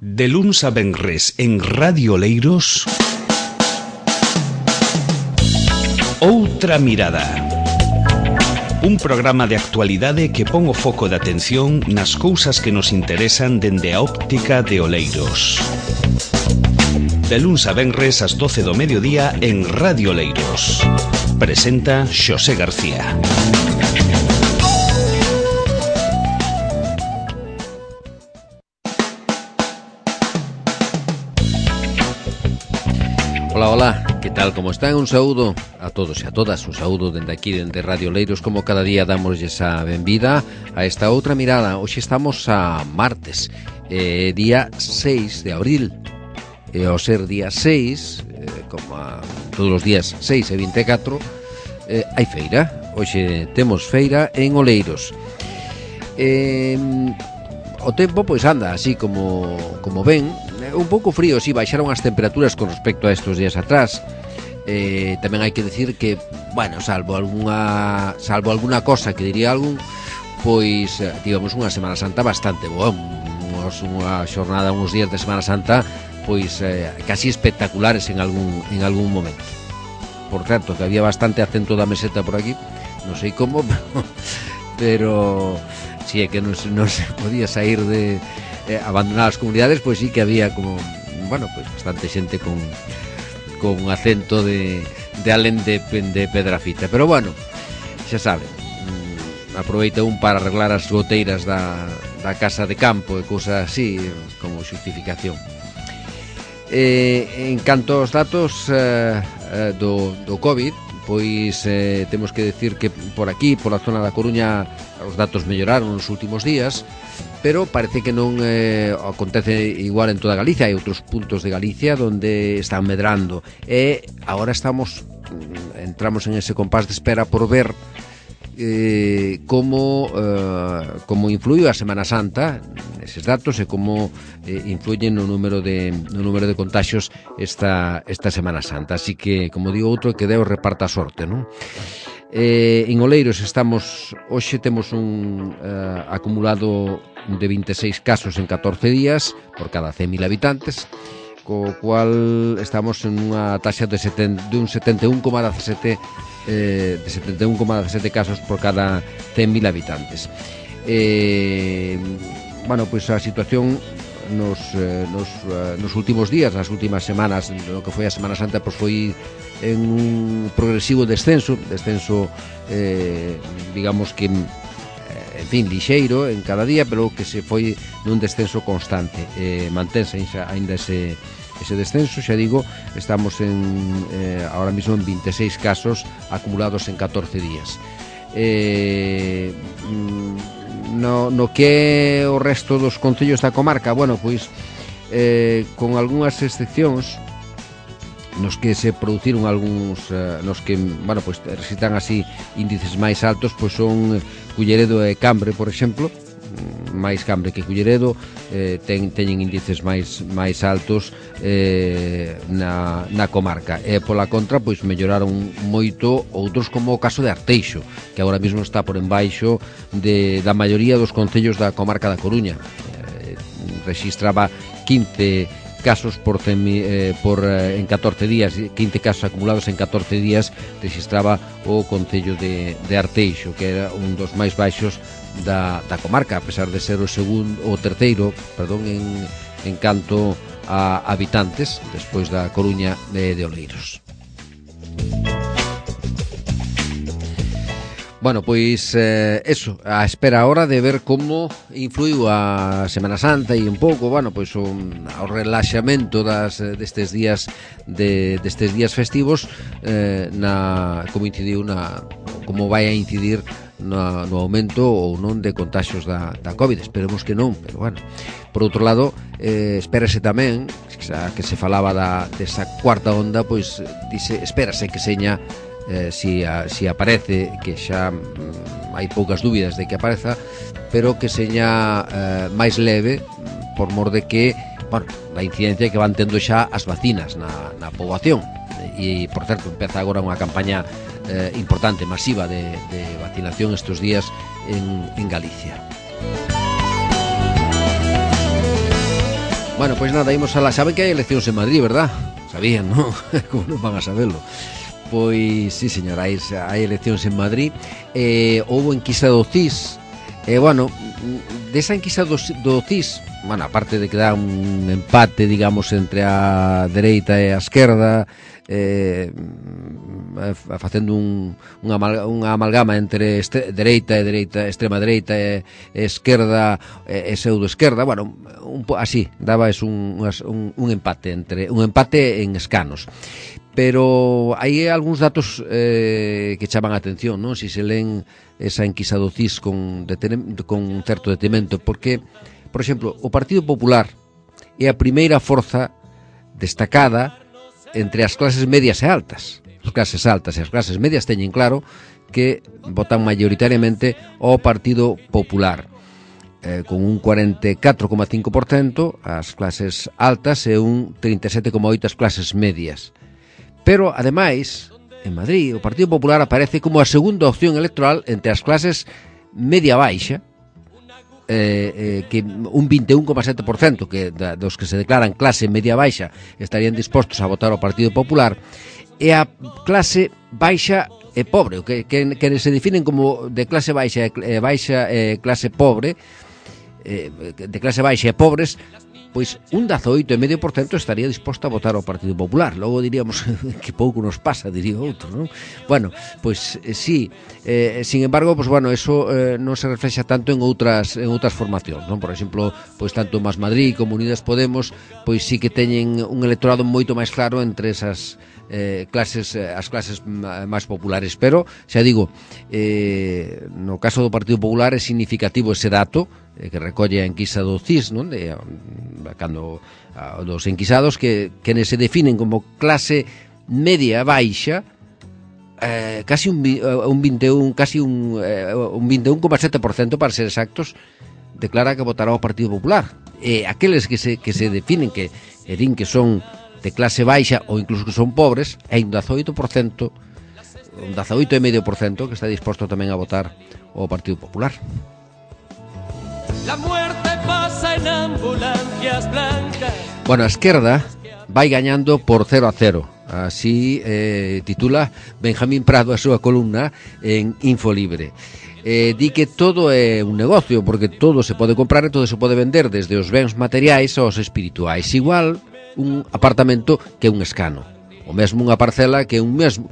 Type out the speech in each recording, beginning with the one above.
De luns a venres en Radio Oleiros, Outra Mirada. Un programa de actualidade que pon o foco de atención nas cousas que nos interesan dende a óptica de Oleiros. De luns a venres ás 12 do mediodía en Radio Oleiros. Presenta Xosé García. Hola, que tal, como están? Un saúdo a todos e a todas, un saúdo dende aquí, dende Radio Oleiros, como cada día damos esa benvida a esta outra mirada. Hoxe estamos a martes, día 6 de abril, e ao ser día 6, como a todos os días 6 e 24, hai feira. Hoxe temos feira en Oleiros. O tempo pois anda así como ven, un pouco frío, si baixaron as temperaturas con respecto a estes días atrás. Tamén hai que decir que, bueno, salvo alguna cosa que diría algún, pois tivemos unha Semana Santa bastante boa, unha xornada, uns días de Semana Santa pois casi espectaculares en algún momento. Por certo, que había bastante acento da meseta por aquí, non sei como, pero si é que non se podía sair de abandonar as comunidades, pois sí que había como, bueno, pois bastante xente con acento de alén de Pedrafita. Pero bueno, xa saben, aproveita un para arreglar as goteiras da casa de campo e cousas así como xustificación. En canto aos datos do COVID, pois temos que decir que por aquí, por a zona da Coruña, os datos melloraron nos últimos días, pero parece que non acontece igual en toda Galicia. Hai outros puntos de Galicia onde están medrando, e agora entramos en ese compás de espera por ver como influiu a Semana Santa eses datos e como influyen no número de contaxios esta Semana Santa. Así que, como digo outro, que Deus reparta a sorte, non? En Oleiros hoxe temos un acumulado de 26 casos en 14 días por cada 100.000 habitantes, co cual estamos en unha taxa de un 71,17 casos por cada 100.000 habitantes. Bueno, pois a situación nos últimos días, nas últimas semanas, no que foi a Semana Santa, pois foi en un progresivo descenso, digamos que en fin, lixeiro en cada día, pero que se foi nun descenso constante. Mantense ainda ese descenso, xa digo, estamos ahora mismo en 26 casos acumulados en 14 días. No que o resto dos concellos da comarca, bueno, pois con algunhas excepcións nos que se produciron algúns, nos que, bueno, pois recitan así índices máis altos, pois son Culleredo e Cambre, por exemplo. Máis Cambre que Culleredo, teñen índices máis altos na comarca. E pola contra, pois melloraron moito outros, como o caso de Arteixo, que agora mesmo está por enbaixo da maioría dos concellos da comarca da Coruña. Rexistraba 15 casos en 14 días, 15 casos acumulados en 14 días rexistraba o concello de Arteixo, que era un dos máis baixos da comarca, a pesar de ser o terceiro en canto a habitantes, despois da Coruña de Oleiros. Bueno, pois eso, a espera ahora de ver como influiu a Semana Santa e un pouco, bueno, pois o relaxamento destes días festivos, como incidiu como vai a incidir no aumento ou non de contaxios da COVID. Esperemos que non, pero bueno. Por outro lado, espérase tamén, que se falaba desa cuarta onda, pois espérase que seña, si aparece, que xa hai poucas dúbidas de que apareza, pero que seña máis leve, por mor de que, bueno, a incidencia que van tendo xa as vacinas na poboación. E, por certo, empeza agora unha campaña importante, masiva de vacinación estes días en Galicia. Bueno, pois nada, imos a la... Saben que hai eleccións en Madrid, verdad? Sabían, non? Como non van a saberlo? Pois, sí, señora, hai eleccións en Madrid. Houbo enquisa do CIS. Bueno, desa enquisa do CIS, bueno, aparte de que dá un empate, digamos, entre a dereita e a esquerda, facendo unha amalgama entre dereita, extrema dereita e esquerda e pseudo-esquerda, bueno, así, daba un empate en escanos. Pero hai algúns datos que chaman a atención, non? Si se leen esa enquisa do CIS con certo detemento, porque, por exemplo, o Partido Popular é a primeira forza destacada entre as clases medias e altas. As clases altas e as clases medias teñen claro que votan maioritariamente ao Partido Popular, con un 44,5% as clases altas e un 37,8% as clases medias. Pero, ademais, en Madrid, o Partido Popular aparece como a segunda opción electoral entre as clases media-baixa, que un 21,7% que dos que se declaran clase media-baixa estarían dispostos a votar ao Partido Popular, e a clase baixa e pobre, que se definen como de clase baixa e clase pobre, de clase baixa e pobres, pois un 18,5% estaría disposto a votar ao Partido Popular. Logo diríamos que pouco nos pasa, diría outro, non? Bueno, pois sí, sin embargo, pois bueno, eso non se reflexa tanto en outras formacións, non? Por exemplo, pois tanto Más Madrid como Unidas Podemos, pois sí que teñen un electorado moito máis claro entre esas as clases máis populares, pero xa digo, no caso do Partido Popular é significativo ese dato que recolle a enquisa do CIS, non? Cando dos enquisados que se definen como clase media baixa, casi un 21,7%, para ser exactos, declara que votará ao Partido Popular. Aqueles que se definen que din que son de clase baixa ou incluso que son pobres, hai un 18%, un 18,5% que está disposto tamén a votar ao Partido Popular. La muerte pasa en ambulancias blancas. Bueno, a esquerda vai gañando por 0-0. Así titula Benjamín Prado a súa columna en Infolibre. Di que todo é un negocio, porque todo se pode comprar e todo se pode vender, desde os bens materiais aos espirituais. Igual un apartamento que un escano, o mesmo unha parcela que un mesmo,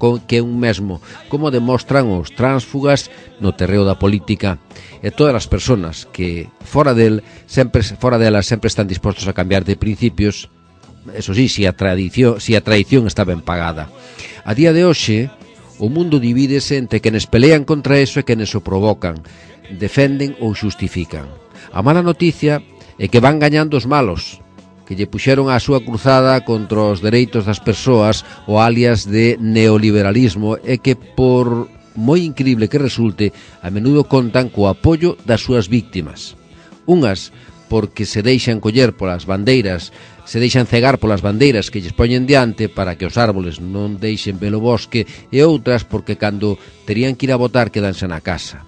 como demostran os tránsfugas no terreo da política, e todas as persoas que fora delas sempre están dispostos a cambiar de principios, eso sí, si a traición está ben pagada. A día de hoxe, o mundo divídese entre quenes pelean contra eso e quenes o provocan, defenden ou xustifican. A mala noticia é que van gañando os malos, que lle puxeron a súa cruzada contra os dereitos das persoas, o alias de neoliberalismo, e que, por moi increíble que resulte, a menudo contan co apoio das súas víctimas. Unhas porque se deixan coller polas bandeiras, se deixan cegar polas bandeiras que lles poñen diante para que os árboles non deixen ver o bosque, e outras porque cando terían que ir a votar quedanse na casa.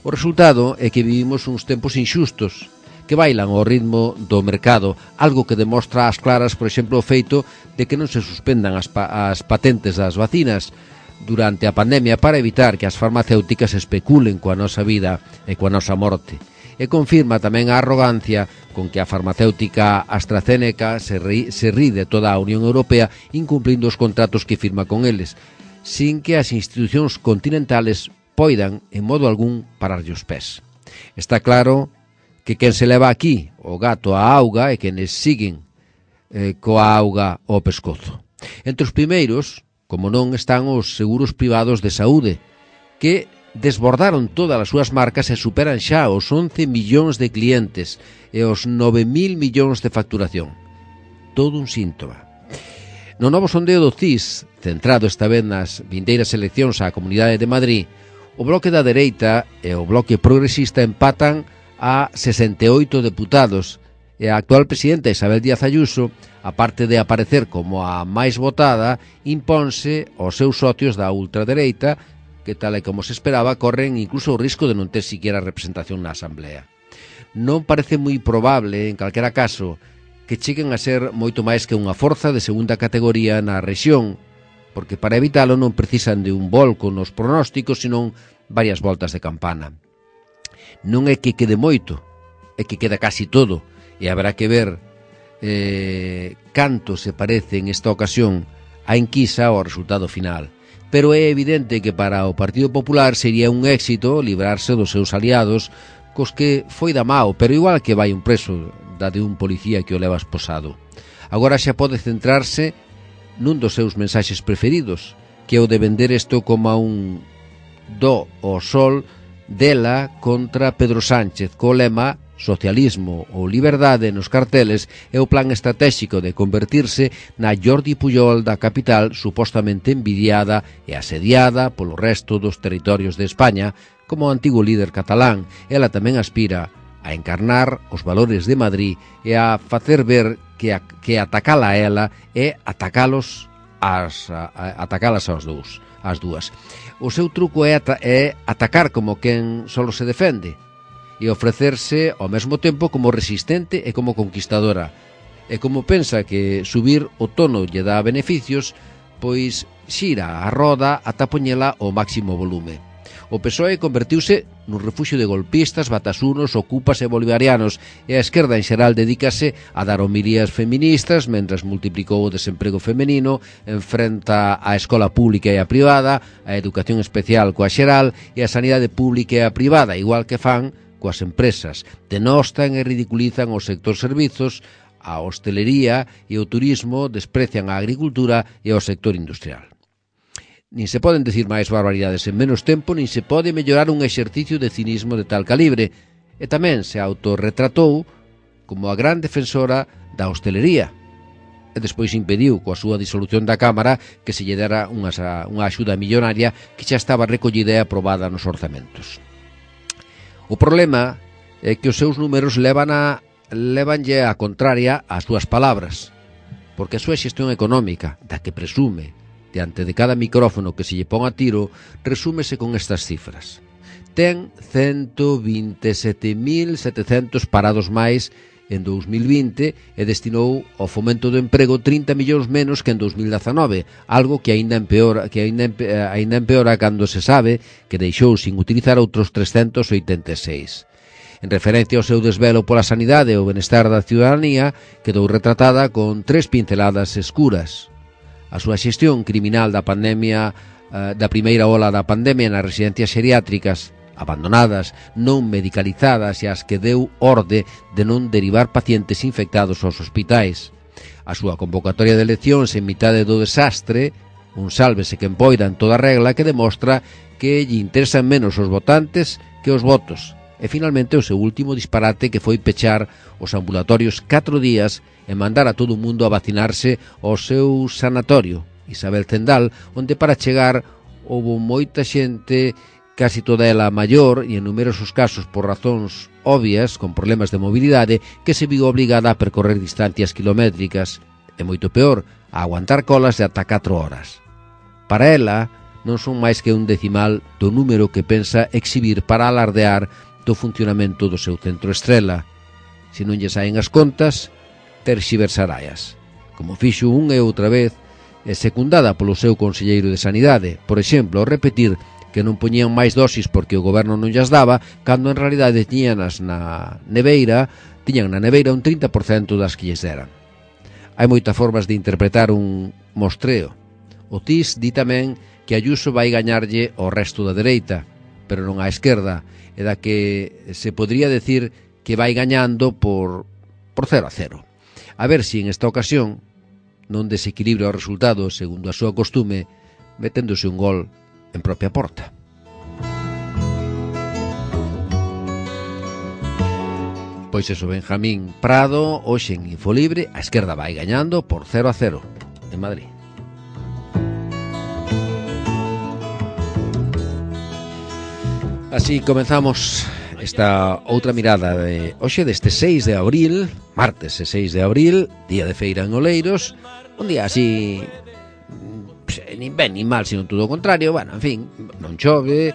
O resultado é que vivimos uns tempos inxustos, que bailan ao ritmo do mercado, algo que demostra ás claras, por exemplo, o feito de que non se suspendan as patentes das vacinas durante a pandemia para evitar que as farmacéuticas especulen coa nosa vida e coa nosa morte. E confirma tamén a arrogancia con que a farmacéutica AstraZeneca se rí de toda a Unión Europea incumplindo os contratos que firma con eles, sin que as institucións continentales poidan, en modo algún, pararlle os pés. Está claro que quen se leva aquí o gato á auga e quenes siguen coa auga ao pescozo. Entre os primeiros, como non, están os seguros privados de saúde, que desbordaron todas as súas marcas e superan xa os 11 millóns de clientes e os 9.000 millóns de facturación. Todo un síntoma. No novo sondeo do CIS, centrado esta vez nas vindeiras eleccións á Comunidade de Madrid, o bloque da dereita e o bloque progresista empatan a 68 deputados e a actual presidenta Isabel Díaz Ayuso, aparte de aparecer como a máis votada, imponse aos seus socios da ultradereita, que tal e como se esperaba corren incluso o risco de non ter siquiera representación na Asamblea. Non parece moi probable, en calquera caso, que cheguen a ser moito máis que unha forza de segunda categoría na rexión, porque para evitalo non precisan de un volco nos pronósticos, senón varias voltas de campana. Non é que quede moito, é que queda casi todo, e haberá que ver canto se parece en esta ocasión a enquisa ao resultado final. Pero é evidente que para o Partido Popular sería un éxito librarse dos seus aliados, cos que foi da mao, pero igual que vai un preso da de un policía que o leva esposado. Agora xa pode centrarse nun dos seus mensaxes preferidos, que é o de vender isto como un do ao sol dela contra Pedro Sánchez, co lema socialismo ou liberdade nos carteles e o plan estratégico de convertirse na Jordi Pujol da capital, supostamente envidiada e asediada polo resto dos territorios de España. Como antigo líder catalán, ela tamén aspira a encarnar os valores de Madrid e a facer ver que atacala a ela é atacalas as dúas. O seu truco é atacar como quen solo se defende e ofrecerse ao mesmo tempo como resistente e como conquistadora. E como pensa que subir o tono lle dá beneficios, pois xira a roda ata poñela ao máximo volume. O PSOE convertiuse nun refuxio de golpistas, batasunos, ocupas e bolivarianos, e a esquerda en xeral dedícase a dar homilías feministas mentras multiplicou o desemprego femenino, enfrenta a escola pública e a privada, a educación especial coa xeral e a sanidade pública e a privada, igual que fan coas empresas. Denostan e ridiculizan o sector servizos, a hostelería e o turismo, desprecian a agricultura e o sector industrial. Nin se poden decir máis barbaridades en menos tempo, nin se pode mellorar un exercicio de cinismo de tal calibre. E tamén se autorretratou como a gran defensora da hostelería. E despois impediu, coa súa disolución da Cámara, que se lle dera unha axuda millonaria que xa estaba recollida e aprobada nos orzamentos. O problema é que os seus números levanlle a contraria ás súas palabras, porque a súa xestión económica, da que presume, diante de cada micrófono que se lle pon a tiro, resúmese con estas cifras. Ten 127.700 parados máis en 2020 e destinou ao fomento do emprego 30 millóns menos que en 2019, algo que aínda empeora cando se sabe que deixou sin utilizar outros 386. En referencia ao seu desvelo pola sanidade e o benestar da ciudadanía, quedou retratada con 3 pinceladas escuras. A súa xestión criminal da pandemia, da primeira ola da pandemia nas residencias xeriátricas, abandonadas, non medicalizadas e as que deu orde de non derivar pacientes infectados aos hospitais. A súa convocatoria de eleccións en mitade do desastre, un sálvese quen poida en toda regla, que demostra que lle interesan menos os votantes que os votos. E finalmente o seu último disparate, que foi pechar os ambulatorios 4 días e mandar a todo o mundo a vacinarse ao seu sanatorio, Isabel Zendal, onde para chegar houbo moita xente, casi toda ela maior e en numerosos casos por razóns obvias, con problemas de mobilidade, que se viu obligada a percorrer distancias kilométricas e moito peor, a aguantar colas de ata 4 horas. Para ela, non son máis que un decimal do número que pensa exhibir para alardear do funcionamento do seu centro estrela. Se non lle saen as contas, terxiversaraias, como fixo unha e outra vez, e secundada polo seu conselleiro de Sanidade, por exemplo, ao repetir que non poñían máis dosis porque o goberno non llas daba, cando en realidade tiñan na neveira un 30% das que lles deran. Hai moitas formas de interpretar un mostreo. O TIS di tamén que Ayuso vai gañarlle ao resto da dereita, pero non á esquerda, e da que se podría decir que vai gañando por 0-0. A ver se en esta ocasión non desequilibra o resultado segundo a súa costume, meténdose un gol en propia porta. Pois eso, Benjamín Prado, hoxe en Infolibre, a esquerda vai gañando por 0-0 en Madrid. Así comenzamos esta outra mirada de hoxe deste 6 de abril, martes 6 de abril, día de feira en Oleiros, un día así nin ben nin mal, sino todo o contrario. Bueno, en fin, non chove,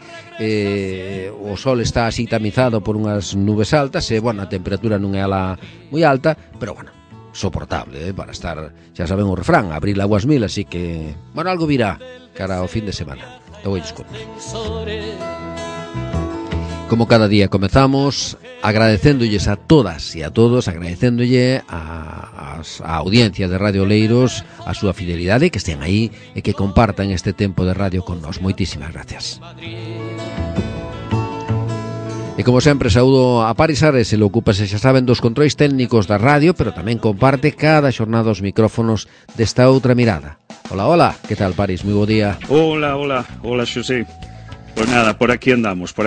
o sol está así tamizado por unhas nubes altas e, bueno, a temperatura non é ala moi alta, pero, bueno, soportable, para estar, xa saben o refrán, abril aguas mil, así que, bueno, algo virá cara ao fin de semana. Te voy desconto. Como cada día comezamos agradecéndolles a todas e a todos, agradecéndolle a audiencia de Radio Oleiros a súa fidelidade, que estén aí e que compartan este tempo de radio con nós. Moitísimas gracias. E como sempre saúdo a Paris Ares, ele ocúpase, xa saben, dos controis técnicos da radio, pero tamén comparte cada xornada os micrófonos desta outra mirada. Hola, hola, que tal, Paris? Moi bo día. Hola, Xosé. Pues nada, por aquí andamos sí.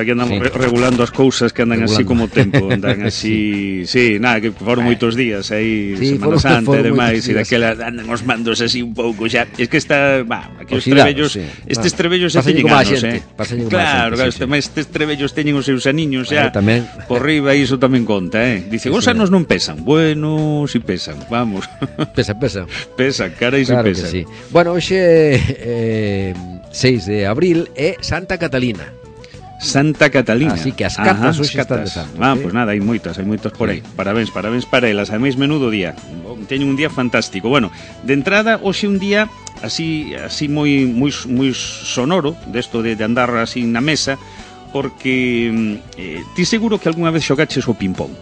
Regulando as cousas que andan así como tempo, andan así, sí, nada, que foron moitos días aí, sí, Semana Santa e demais, e daquela andan os mandos así un pouco xa, es que está, aquí os trebellos, sí. Estes trebellos xa teñen anos, claro, estes trebellos teñen os seus aniños xa, tamén. Por riba iso tamén conta, dicen, os anos non pesan, bueno, si pesan, vamos. Pesan, carai, si pesan. Sí. Bueno, hoxe 6 de abril é Santa Catalina. Así que as catas hoxe están de santos. Pues nada, hai moitas por aí. Parabéns para elas, ademais menudo día. Teñen un día fantástico. Bueno, de entrada hoxe un día así moi sonoro, desto de andar así na mesa, porque ti seguro que algunha vez xogaches o ping-pong,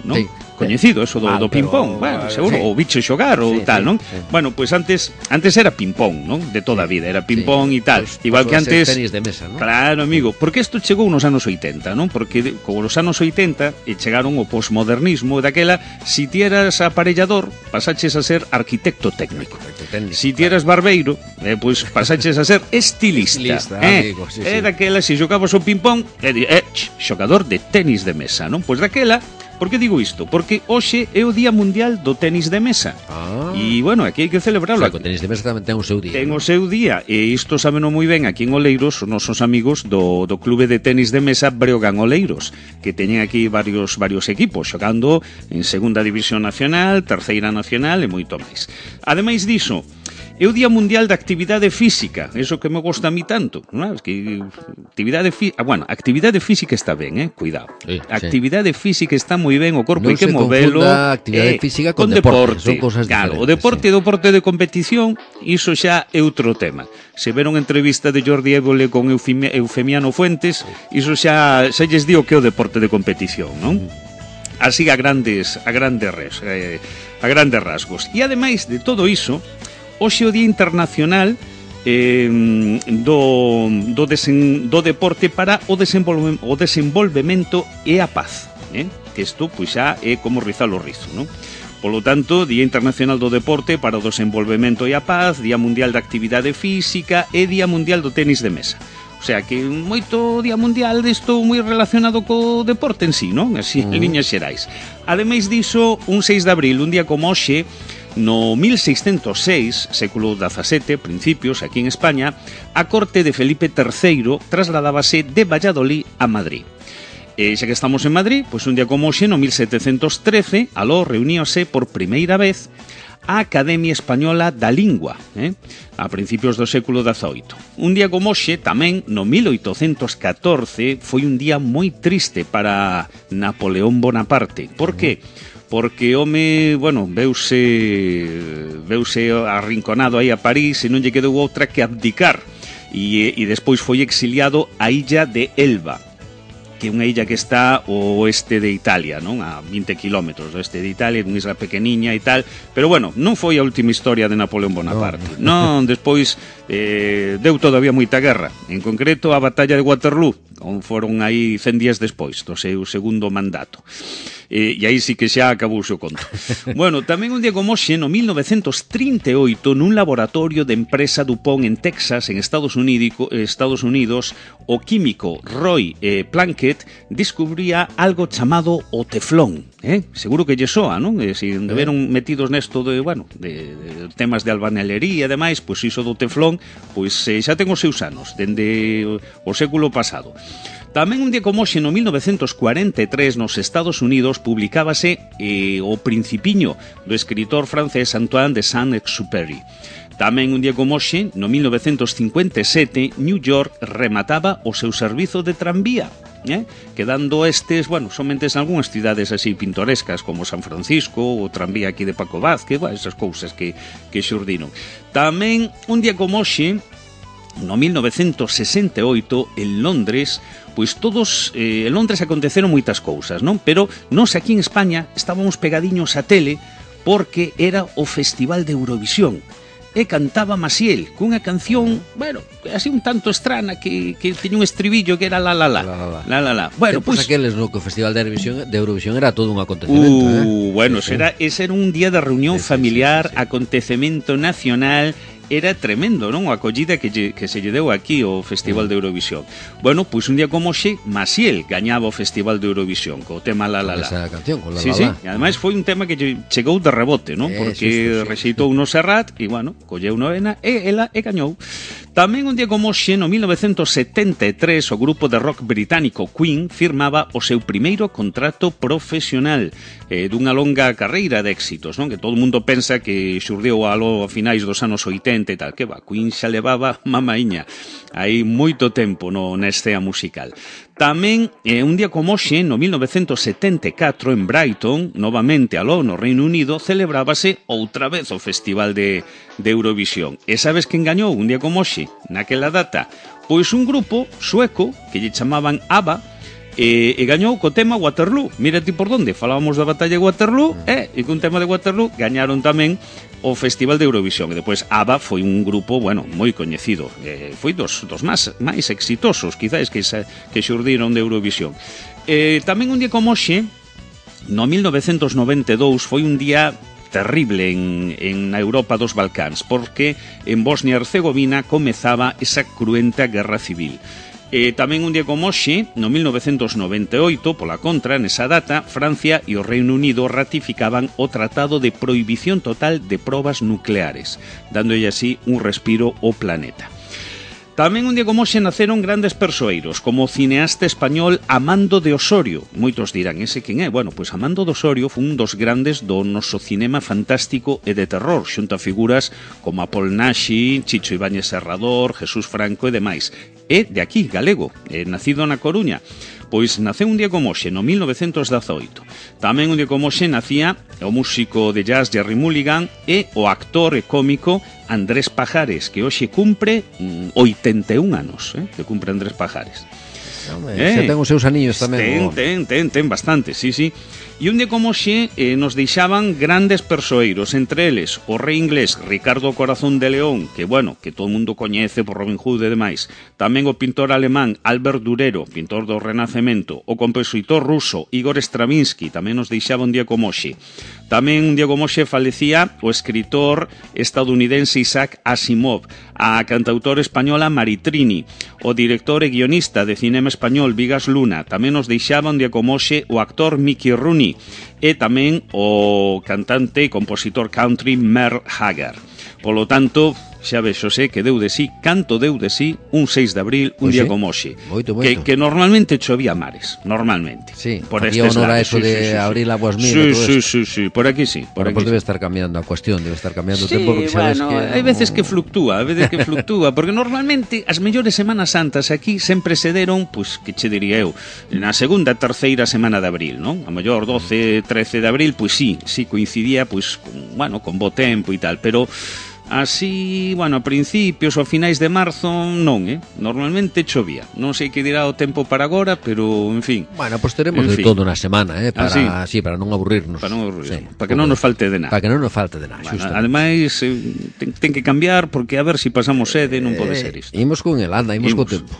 non? Sí. Coñecido eso do ping-pong, bueno, seguro, o bicho xogar ou tal, non? Sí. Bueno, pues antes era ping-pong, non? De toda a vida, era ping-pong e tal. Igual que antes tenis de mesa, non? Claro, amigo, porque isto chegou nos anos 80, non? Porque como nos anos 80 chegaron o posmodernismo, daquela, si ti eras aparellador, pasaches a ser arquitecto técnico. Si ti eras barbeiro, pues pasaches a ser estilista. Amigo, sí. Daquela, si xogabas o ping-pong, xogador de tenis de mesa, non? Pois daquela. Por que digo isto? Porque hoxe é o Día Mundial do Tenis de Mesa. E, bueno, aquí hai que celebrarlo. O tenis de mesa tamén ten o seu día. Ten o seu día. E isto sábeno moi ben aquí en Oleiros, os nosos amigos do Clube de Tenis de Mesa Breogán Oleiros, que teñen aquí varios equipos xogando en Segunda División Nacional, Terceira Nacional e moito máis. Ademais diso, é o Día Mundial da Actividade Física, eso que me gusta a mí tanto, non? Es que actividade física está ben, cuidado. Sí, actividade física está moi ben, o corpo hai que movelo. Non se actividade física con deporte, son cousas diferentes. Claro, o deporte de competición, iso xa é outro tema. Se veron entrevista de Jordi Évole con Eufemiano Fuentes, iso xa lles digo que é o deporte de competición, non? Así a grandes rasgos. E ademais de todo iso, hoxe o Día Internacional do deporte para o desenvolvemento e a paz, que isto pois xa é como rizar o rizo, non? Polo tanto, Día Internacional do Deporte para o Desenvolvemento e a Paz, Día Mundial da Actividade Física e Día Mundial do Tenis de Mesa. O sea, que moito Día Mundial disto moi relacionado co deporte en sí, non? Así, en liñas xerais. Ademais diso, un 6 de abril, un día como hoxe, no 1606, século XVII, principios, aquí en España, a corte de Felipe III trasladábase de Valladolid a Madrid. E xa que estamos en Madrid, pois un día como hoxe, no 1713, aló reuníose por primeira vez a Academia Española da Lingua, a principios do século XVIII. Un día como hoxe, tamén, no 1814, foi un día moi triste para Napoleón Bonaparte. Por que? Porque home, bueno, veuse arrinconado aí a París e non lle quedou outra que abdicar e despois foi exiliado á illa de Elba, que é unha illa que está ao oeste de Italia, non? A 20 kilómetros do oeste de Italia, unha isla pequeniña e tal, pero bueno, non foi a última historia de Napoleón Bonaparte. Non, despois deu todavía moita guerra, en concreto a batalla de Waterloo, onde foron aí 100 días despois do seu segundo mandato. E aí sí que xa acabou o seu conto. Bueno, tamén un día como hoxe, no 1938, nun laboratorio de empresa DuPont en Texas, en Estados Unidos, o químico Roy Plunkett descubría algo chamado o teflón. Seguro que lle soa, non? Se andeveron metidos nesto de temas de albañilería e demais, pois iso do teflón, pois xa ten os seus anos, dende o século pasado. Tamén un día como hoxe, no 1943, nos Estados Unidos, publicábase o Principiño do escritor francés Antoine de Saint-Exupéry. Tamén un día como hoxe, no 1957, New York remataba o seu servizo de tranvía. quedando estes, bueno, somente en algunhas cidades así pintorescas como San Francisco, o tranvía aquí de Paco Vázquez, esas cousas que xurdiron. Tamén, un día como hoxe, no 1968, en Londres, pois todos, en Londres aconteceron moitas cousas, non? Pero nós aquí en España estábamos pegadiños a tele porque era o Festival de Eurovisión. E cantaba Maciel cunha canción, bueno, así un tanto estrana que tiña un estribillo que era la la la. La la la. Bueno, pois aqueles no que o Festival de Eurovisión era todo un acontecemento, bueno, sí. Ese era un día de reunión familiar, sí. Acontecemento nacional. Era tremendo, non? A acollida que se lle deu aquí o Festival de Eurovisión. Bueno, pois un día como hoxe, Maciel gañaba o Festival de Eurovisión co tema La La La. Esa canción, con La La La. Sí, e ademais foi un tema que chegou de rebote, non? Porque rexeitou no Serrat e, bueno, colleu no ENA e ela gañou. Tamén un día como hoxe, no 1973, o grupo de rock británico Queen firmaba o seu primeiro contrato profesional dunha longa carreira de éxitos, non? Que todo o mundo pensa que xurdiu a finais dos anos 80 e tal, que va, Queen xa levaba mamaíña hai moito tempo na escena musical. Tamén, un día como hoxe, no 1974, en Brighton, novamente aló no Reino Unido, celebrábase outra vez o Festival de Eurovisión. E sabes quen gañou un día como hoxe, naquela data? Pois un grupo sueco que lle chamaban ABBA, e gañou co tema Waterloo. Mira ti por onde, falábamos da batalla de Waterloo, e con tema de Waterloo gañaron tamén o Festival de Eurovisión. E depois ABBA foi un grupo, bueno, moi coñecido, foi dos máis exitosos, quizáis, que xurdiron de Eurovisión. Tamén un día como hoxe, no 1992, foi un día terrible en Europa dos Balcáns, porque en Bosnia e Herzegovina comezaba esa cruenta guerra civil. Tamén un día como hoxe, no 1998, pola contra, nesa data, Francia e o Reino Unido ratificaban o Tratado de Prohibición Total de Probas Nucleares, dándolle así un respiro ao planeta. Tamén un día como hoxe naceron grandes persoeiros, como o cineasta español Amando de Osorio. Moitos dirán, ese quen é? Bueno, pois Amando de Osorio foi un dos grandes do noso cinema fantástico e de terror, xunto a figuras como Apol Naxi, Chicho Ibáñez Serrador, Jesús Franco e demais. É de aquí, galego, nacido na Coruña. Pois naceu un día como hoxe, no 1918. Tamén un día como hoxe nacía o músico de jazz Jerry Mulligan e o actor e cómico Andrés Pajares, que hoxe cumpre 81 anos, que cumpre Andrés Pajares. Xa ten os seus aniños tamén. Ten bastante, sí. E un día como hoxe nos deixaban grandes persoeiros, entre eles o rei inglés Ricardo Corazón de León, que, bueno, que todo o mundo coñece por Robin Hood e demais. Tamén o pintor alemán Albert Durero, pintor do Renacemento. O compositor ruso Igor Stravinsky tamén nos deixaba un día como hoxe. Tamén un día como hoxe falecía o escritor estadounidense Isaac Asimov, a cantautora española Maritrini, o director e guionista de cinema español Vigas Luna. Tamén nos deixaba un día como hoxe o actor Mickey Rooney e tamén o cantante e compositor country Merle Haggard. Polo tanto, xa vexo que deu de sí, canto deu de sí un 6 de abril, un día como hoxe. Moito. Que normalmente chovía mares, normalmente. Sí, por había honor a eso de abrir aguas mil. Sí, por aquí sí. Por aquí debe estar cambiando a cuestión, debe estar cambiando o tempo, porque sabes que... hai veces que fluctúa, porque normalmente as mellores Semanas Santas aquí sempre se deron, pois, que che diría eu, na segunda, terceira semana de abril, non? A mellor 12, 13 de abril, pois sí coincidía, pois, con bo tempo e tal, pero... Así, a principios ou a finais de marzo non, normalmente chovía. Non sei que dirá o tempo para agora, pero, en fin. Pois teremos de todo na semana, para non aburrirnos. Para non aburrirnos, para que non nos falte de nada. Para que non nos falte de nada, xusto. Ademais, ten que cambiar, porque a ver se pasamos sede, non pode ser isto. Imos con el, anda, imos co tempo.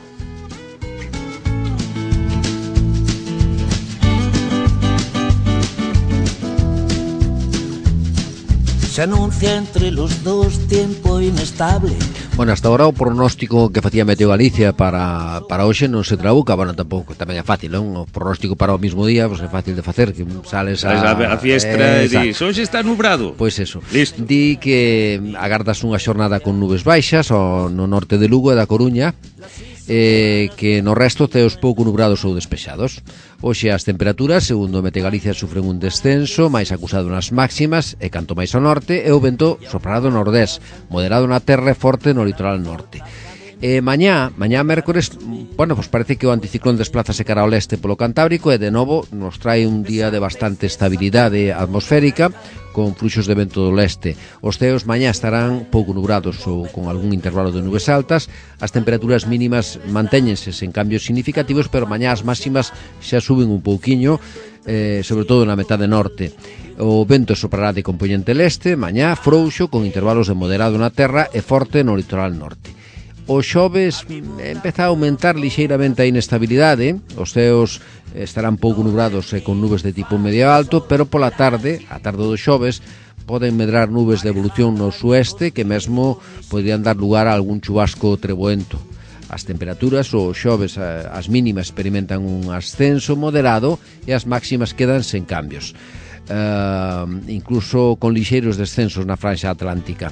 Se anuncia entre los dos tiempo inestable. Bueno, hasta ahora o pronóstico que facía Meteo Galicia para hoxe non se trabuca. Bueno, tampouco, tamén é fácil, non? O pronóstico para o mismo día, pois é fácil de facer, que sales a fiestra e dis, hoxe está nubrado. Pois eso. Listo. Di que agardas unha xornada con nubes baixas no norte de Lugo e da Coruña, que no resto teos pouco nubrados ou despexados. Hoxe as temperaturas, segundo Mete Galicia, sufren un descenso máis acusado nas máximas e canto máis ao norte, e o vento soprará do nordés, moderado na terra e forte no litoral norte. Mañá mércores, bueno, pues parece que o anticiclón desplázase cara ao leste polo Cantábrico e de novo nos trae un día de bastante estabilidade atmosférica con fluxos de vento do leste. Os ceos mañá estarán pouco nubrados ou con algún intervalo de nubes altas. As temperaturas mínimas mantéñense sen cambios significativos, pero mañá as máximas xa suben un pouquiño, sobre todo na metade norte. O vento soprará de compoñente leste, mañá frouxo con intervalos de moderado na terra e forte no litoral norte. O xoves empeza a aumentar lixeiramente a inestabilidade, os ceos estarán pouco nubrados e con nubes de tipo medio alto, pero pola tarde, a tarde do xoves, poden medrar nubes de evolución no sueste que mesmo podrían dar lugar a algún chubasco treboento. As temperaturas, o xoves, as mínimas experimentan un ascenso moderado e as máximas quedan sen cambios, incluso con lixeiros descensos na franxa atlántica.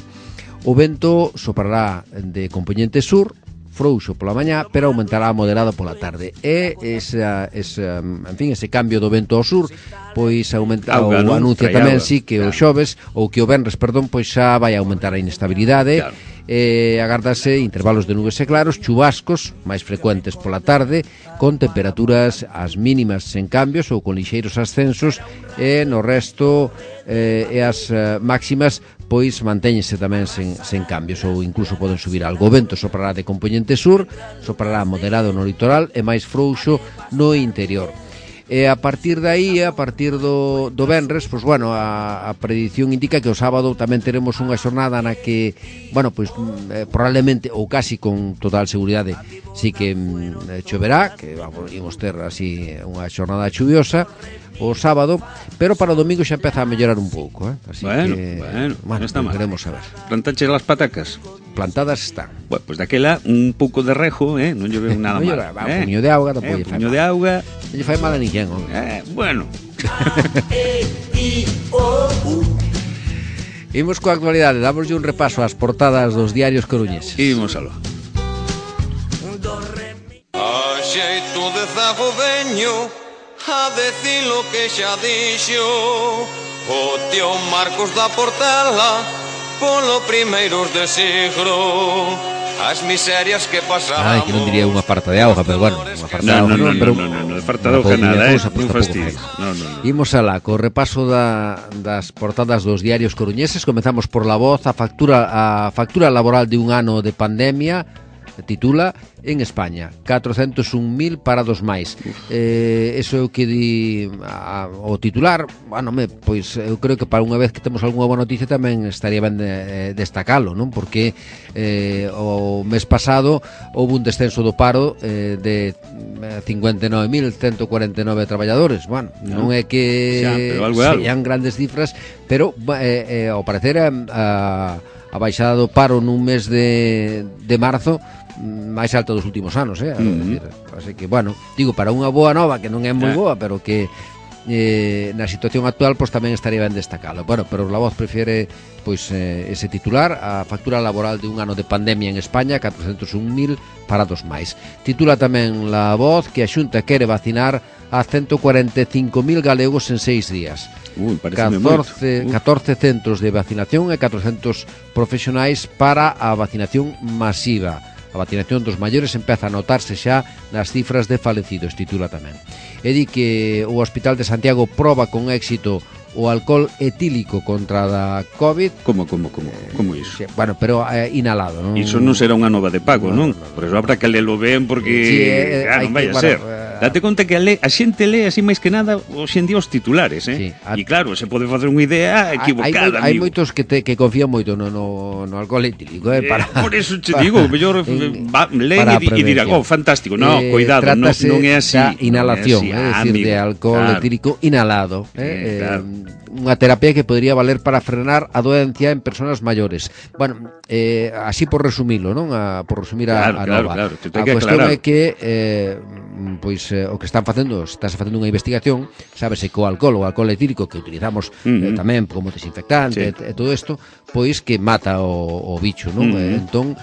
O vento soprará de compoñente sur, frouxo pola mañá, pero aumentará moderado pola tarde. E ese cambio do vento ao sur, pois aumenta, ou anuncia tamén que o xoves, ou que o venres, pois xa vai aumentar a inestabilidade. Claro. Agardase intervalos de nubes e claros, chubascos máis frecuentes pola tarde, con temperaturas as mínimas sen cambios ou con lixeiros ascensos, e no resto e as máximas pois mantéñense tamén sen cambios ou incluso poden subir algo. O vento soprará de compoñente sur, soprará moderado no litoral e máis frouxo no interior. E a partir de aí, a partir do venres, pois bueno, a predición indica que o sábado tamén teremos unha xornada na que, bueno, pois probablemente ou casi con total seguridade sí que choverá, que imos ter así unha xornada chuviosa o sábado, pero para o domingo xa empeza a mellorar un pouco, así que bueno, está mal. Queremos saber. Plantache las patacas? Plantadas están. Bueno, pues daquela un pouco de rejo, non lle veo nada mal. Un puño de auga, un puño de auga. Non lle fai mal a ninguén, bueno. Imos coa actualidade, dámoslle un repaso ás portadas dos diarios coruñeses. Imos aló. A xeito de zago veño a decir lo que xa dixo o tío Marcos da Portela polo primeiros de siglo. As miserias que pasamos. Que non diría unha farta de auga, pero bueno, unha farta de auga non, farta de auga nada, non fastidies. Imos alá, co repaso das portadas dos diarios coruñeses. Comezamos por La Voz. A factura laboral de un ano de pandemia titula en España 401.000 parados máis. Eso é o que di o titular. Bueno, pois eu creo que para unha vez que temos algunha boa noticia tamén estaría ben destacalo, non? Porque o mes pasado houve un descenso do paro de 59.149 traballadores. Bueno, non é que sean grandes cifras, pero ao parecer a baixada do paro nun mes de marzo máis alta dos últimos anos, así que, bueno, digo, para unha boa nova que non é moi boa, pero que na situación actual pois tamén estaría ben destacalo. Bueno, pero La Voz prefiere pois ese titular, a factura laboral de un ano de pandemia en España, 401.000 parados máis. Titula tamén La Voz que a Xunta quere vacinar a 145.000 galegos en 6 días. 14 centros de vacinación e 400 profesionais para a vacinación masiva. A vacinación dos maiores empeza a notarse xa nas cifras de falecidos, titula tamén. E di que o Hospital de Santiago proba con éxito o alcohol etílico contra da COVID. Como iso? Bueno, pero inhalado, non? Iso non será unha nova de pago, non? Por eso habrá que lelo ben, porque non vai a ser. Date conta que a xente lee así máis que nada hoxe en día os titulares, E claro, se pode facer unha idea equivocada, hai moitos que confían moito no alcohol etílico, por eso te digo, mellor leen e dirán, fantástico. No, cuidado, non é así. Inhalación, é dicir, de alcohol etílico inhalado, unha terapia que podría valer para frenar a doencia en persoas maiores. Bueno, así por resumilo, non? Por resumir a nova. Claro, a cuestión é que pois o que están facendo, está facendo unha investigación, sábese que o alcohol etílico que utilizamos tamén como desinfectante e todo isto, pois que mata o bicho, non? Entón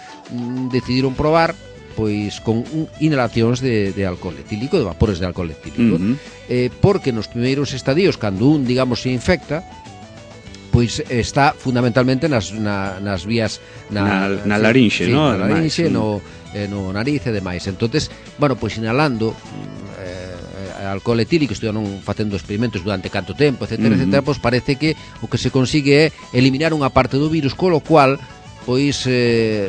decidiron probar pois con inhalacións de alcohol etílico, de vapores de alcohol etílico, porque nos primeiros estadios, cando un, digamos, se infecta, pois está fundamentalmente nas vías na larinxe, sí, no? Na larinxe, no nariz e demais. Entonces, bueno, pois inhalando alcohol etílico, estiveron facendo experimentos durante canto tempo, etcétera, etcétera, pois parece que o que se consigue é eliminar unha parte do virus, colo cual pois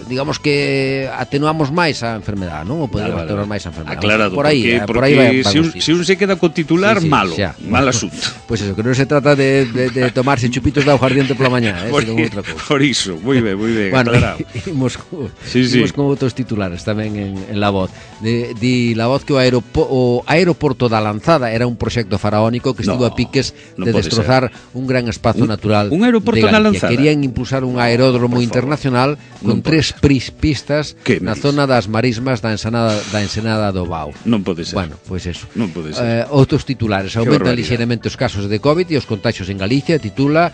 digamos que atenuamos máis a enfermedade, non? Ou podemos atenuar máis a enfermedade. Aclarado, por aí, porque por aí vai se un se queda co titular, sí, malo, xa. mal asunto. Pois eso, que non se trata de tomarse chupitos de aguardiente pola mañá, senón outra cousa. Por iso, moi ben, bueno, aclarado. Imos con outros titulares tamén en La Voz. Di La Voz que o aeroporto da Lanzada era un proxecto faraónico que estivo a piques de destrozar un gran espazo natural un aeroporto de Galicia. na Lanzada. Querían impulsar un aeródromo internacional con 3 pistas na zona das marismas da ensenada do Bao. Non pode ser. Bueno, pois eso. Non pode ser. Outros titulares. Aumentan lixeiramente os casos de COVID e os contagios en Galicia. Titula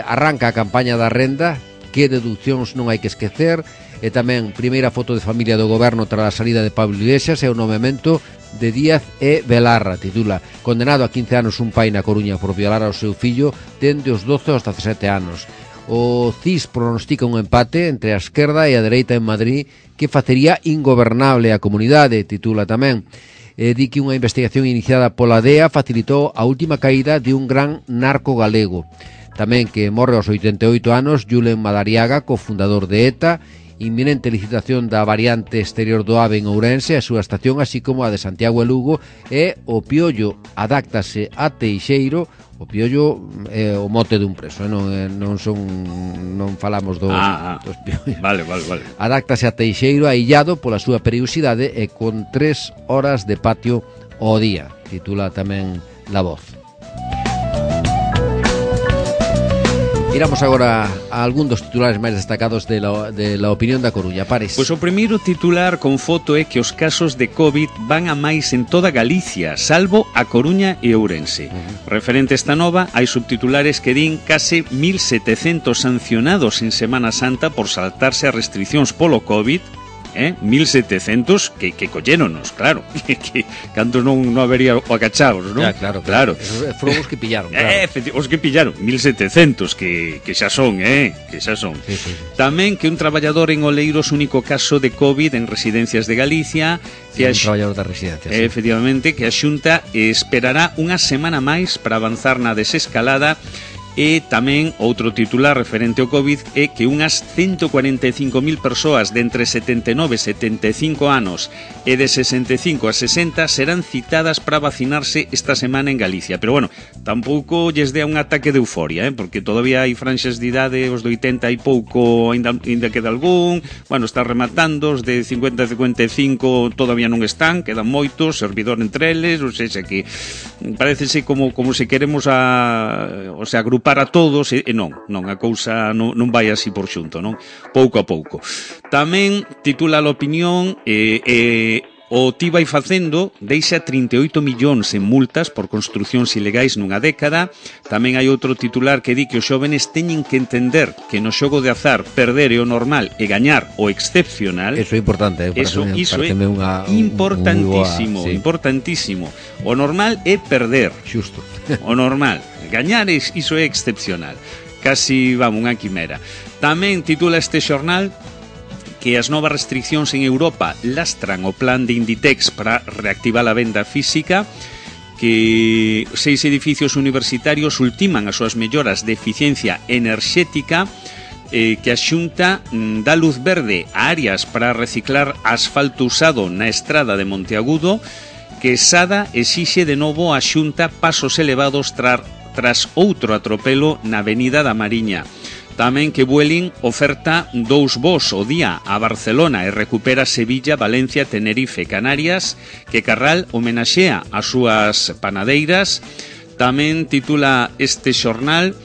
arranca a campaña da renda, que deduccións non hai que esquecer. E tamén primeira foto de familia do goberno tras a salida de Pablo Iglesias e o nomeamento de Díaz e Belarra. Titula: condenado a 15 anos un pai na Coruña por violar ao seu fillo dende os 12 aos 17 anos. O CIS pronostica un empate entre a esquerda e a dereita en Madrid que facería ingobernable a comunidade, titula tamén. Di que unha investigación iniciada pola DEA facilitou a última caída de un gran narco galego. Tamén que morre aos 88 anos Julen Madariaga, cofundador de ETA. Inminente licitación da variante exterior do AVE en Ourense, a súa estación, así como a de Santiago e Lugo. E o piollo adáctase a Teixeiro. O piollo é o mote dun preso, non falamos dos piollos. Vale. Adáctase a Teixeiro aillado pola súa perigosidade e con 3 horas de patio ao día, titula tamén La Voz. Iramos agora a algún dos titulares máis destacados de la opinión da Coruña. Pares. Pois o primeiro titular con foto é que os casos de COVID van a máis en toda Galicia, salvo a Coruña e Ourense. Referente a esta nova, hai subtitulares que din case 1.700 sancionados en Semana Santa por saltarse as restriccións polo COVID. 1.700 que colléronos, claro, que cantos non habería o acachaos, non? Claro. Esos foron os que pillaron, claro. Os que pillaron, 1.700 que xa son, que xa son. Sí. Tamén que un traballador en Oleiros, único caso de COVID en residencias de Galicia, que un traballador da residencia, sí. Efectivamente, que a Xunta esperará unha semana máis para avanzar na desescalada. E tamén outro titular referente ao COVID é que unhas 145.000 persoas de entre 79 e 75 anos e de 65 a 60 serán citadas para vacinarse esta semana en Galicia. Pero bueno, tampouco lles dea un ataque de euforia, porque todavía hai franxas de idade, os de 80 e pouco ainda queda algún, bueno, está rematando, os de 50 a 55 todavía non están, quedan moitos, servidor entre eles, ou seja que parecese como se queremos agrupar a todos e non, a cousa non vai así por xunto, non? Pouco a pouco. Tamén titula a opinión o TI vai facendo deixa 38 millóns en multas por construcións ilegais nunha década. Tamén hai outro titular que di que os xóvenes teñen que entender que no xogo de azar perder é o normal e gañar o excepcional. Eso é importante, Iso é importantísimo, importantísimo. O normal é perder. Xusto. O normal. Gañar iso é excepcional. Casi, unha quimera. Tamén titula este xornal que as novas restriccións en Europa lastran o plan de Inditex para reactivar a venda física, que 6 edificios universitarios ultiman as súas melloras de eficiencia enerxética, que a Xunta dá luz verde a áreas para reciclar asfalto usado na estrada de Monteagudo, que Sada exixe de novo a Xunta pasos elevados tras outro atropelo na Avenida da Mariña. Tamén que Vueling oferta 2 voos ao día a Barcelona e recupera Sevilla, Valencia, Tenerife, Canarias, que Carral homenaxea as súas panadeiras. Tamén titula este xornal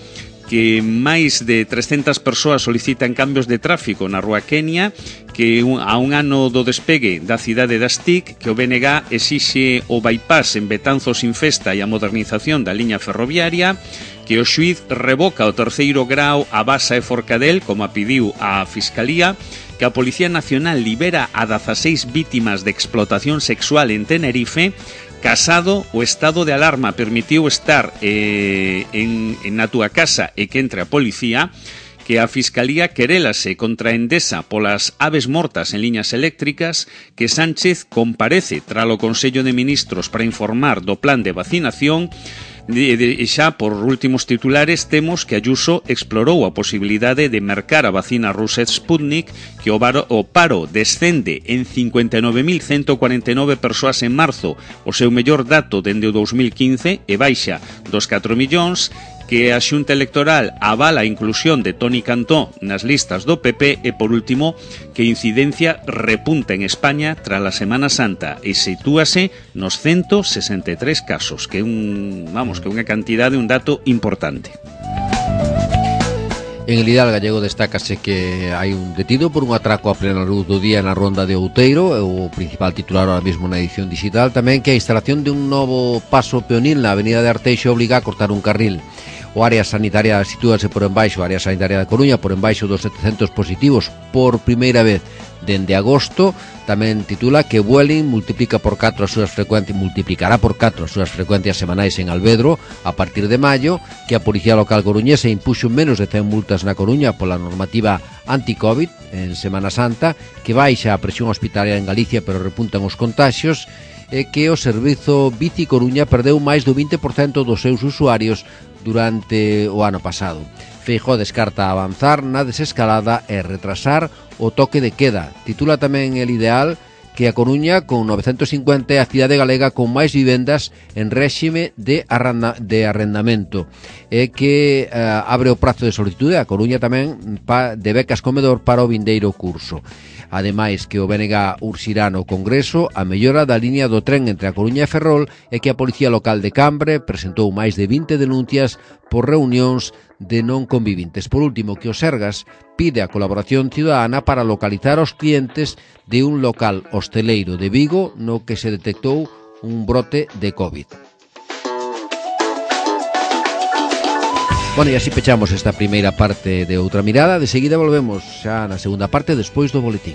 que máis de 300 persoas solicitan cambios de tráfico na Rúa Kenia, que a un ano do despegue da cidade das TIC, que o BNG exixe o bypass en Betanzos sin Festa e a modernización da liña ferroviaria, que o xuíz revoca o 3º grao a Basa e Forcadell, como a pediu a Fiscalía, que a Policía Nacional libera a 16 vítimas de explotación sexual en Tenerife. Casado, o estado de alarma permitiu estar na túa casa e que entre a policía, que a Fiscalía querélase contra Endesa polas aves mortas en liñas eléctricas, que Sánchez comparece tralo Consello de Ministros para informar do plan de vacinación. E xa por últimos titulares temos que Ayuso explorou a posibilidade de mercar a vacina rusa Sputnik, que o paro descende en 59.149 persoas en marzo, o seu mellor dato dende o 2015, e baixa dos 4 millóns, que a Xunta Electoral avala a inclusión de Toni Cantó nas listas do PP e, por último, que a incidencia repunta en España tras a Semana Santa e sitúase nos 163 casos, que é unha cantidade, un dato importante. En el Hidal gallego destácase que hai un detido por un atraco a plena luz do día na ronda de Outeiro, o principal titular ahora mesmo na edición digital. Tamén que a instalación de un novo paso peonil na avenida de Arteixo obliga a cortar un carril. O área sanitaria sitúase por embaixo, a área sanitaria da Coruña, por embaixo dos 700 positivos por primeira vez dende agosto. Tamén titula que Vueling multiplicará por 4 as súas frecuencias semanais en Alvedro a partir de maio, que a Policía Local coruñesa impuxo menos de 100 multas na Coruña pola normativa anti-Covid en Semana Santa, que baixa a presión hospitalaria en Galicia pero repuntan os contaxios, e que o servizo Bici Coruña perdeu máis do 20% dos seus usuarios durante o ano pasado. Feijóo descarta avanzar na desescalada e retrasar o toque de queda. Titula tamén El Ideal que a Coruña, con 950, é a cidade galega con máis vivendas en réxime de arrendamento, e que abre o prazo de solicitude a Coruña tamén de becas comedor para o vindeiro curso. Ademais, que o BNG urxirá no Congreso a mellora da liña do tren entre a Coruña e Ferrol, e que a Policía Local de Cambre presentou máis de 20 denuncias por reunións de non convivintes. Por último, que o Sergas pide a colaboración ciudadana para localizar os clientes de un local hosteleiro de Vigo no que se detectou un brote de COVID. Bueno, e así pechamos esta primeira parte de Outra Mirada. De seguida volvemos xa na segunda parte despois do boletín.